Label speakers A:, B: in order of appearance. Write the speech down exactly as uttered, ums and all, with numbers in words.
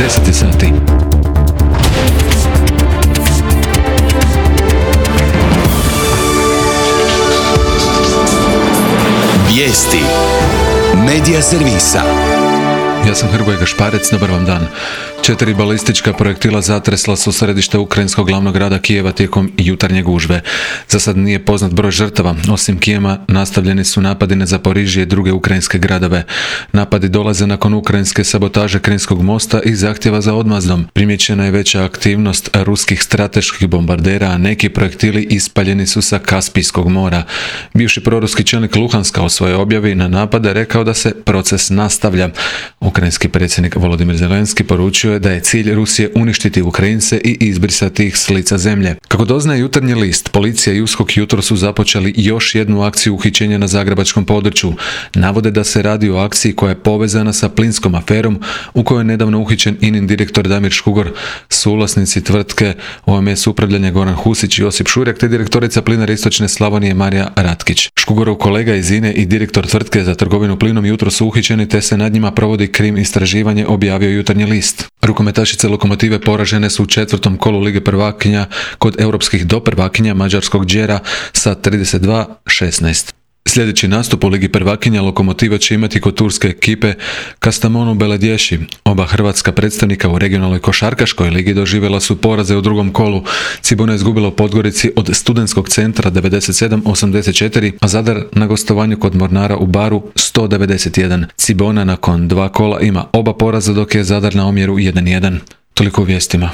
A: deset je sati.
B: Vijesti Medija servisa.
A: Ja sam Hrvoje Gašparec, dobar vam dan. Četiri balistička projektila zatresla su središte ukrajinskog glavnog grada Kijeva tijekom jutarnje gužve. Za sad nije poznat broj žrtava. Osim Kijeva nastavljeni su napadi na Zaporižje i druge ukrajinske gradove. Napadi dolaze nakon ukrajinske sabotaže Krimskog mosta i zahtjeva za odmazdom. Primijećena je veća aktivnost ruskih strateških bombardera, a neki projektili ispaljeni su sa Kaspijskog mora. Bivši proruski čelnik Luhanska u svojoj objavi na napade rekao da se proces nastavlja. Ukrajinski predsjednik Volodimir Zelenski poručio je da je cilj Rusije uništiti Ukrajince i izbrisati ih s lica zemlje. Kako doznaje Jutarnji list, policija i USKOK jutro su započeli još jednu akciju uhićenja na zagrebačkom području. Navode da se radi o akciji koja je povezana sa plinskom aferom u kojoj je nedavno uhićen I N I-nin direktor Damir Škugor, suvlasnici tvrtke O M S upravljanja Goran Husić i Josip Šurjak te direktorica Plinare Istočne Slavonije Marija Ratkić. Škugorov kolega iz I N E i direktor tvrtke za trgovinu plinom jutro su uhićeni te se nad njima provodi krim istraživanje, objavio Jutarnji list. Rukometašice Lokomotive poražene su u četvrtom kolu Lige prvakinja kod europskih doprvakinja mađarskog Đera sa trideset dva šesnaest. Sljedeći nastup u Ligi prvakinja Lokomotiva će imati kod turske ekipe Kastamonu Beledješi. Oba hrvatska predstavnika u regionalnoj košarkaškoj ligi doživjela su poraze u drugom kolu. Cibona je izgubila u Podgorici od Studentskog centra devedeset sedam osamdeset četiri, a Zadar na gostovanju kod Mornara u Baru sto devedeset jedan. Cibona nakon dva kola ima oba poraza dok je Zadar na omjeru jedan jedan. Toliko u vijestima.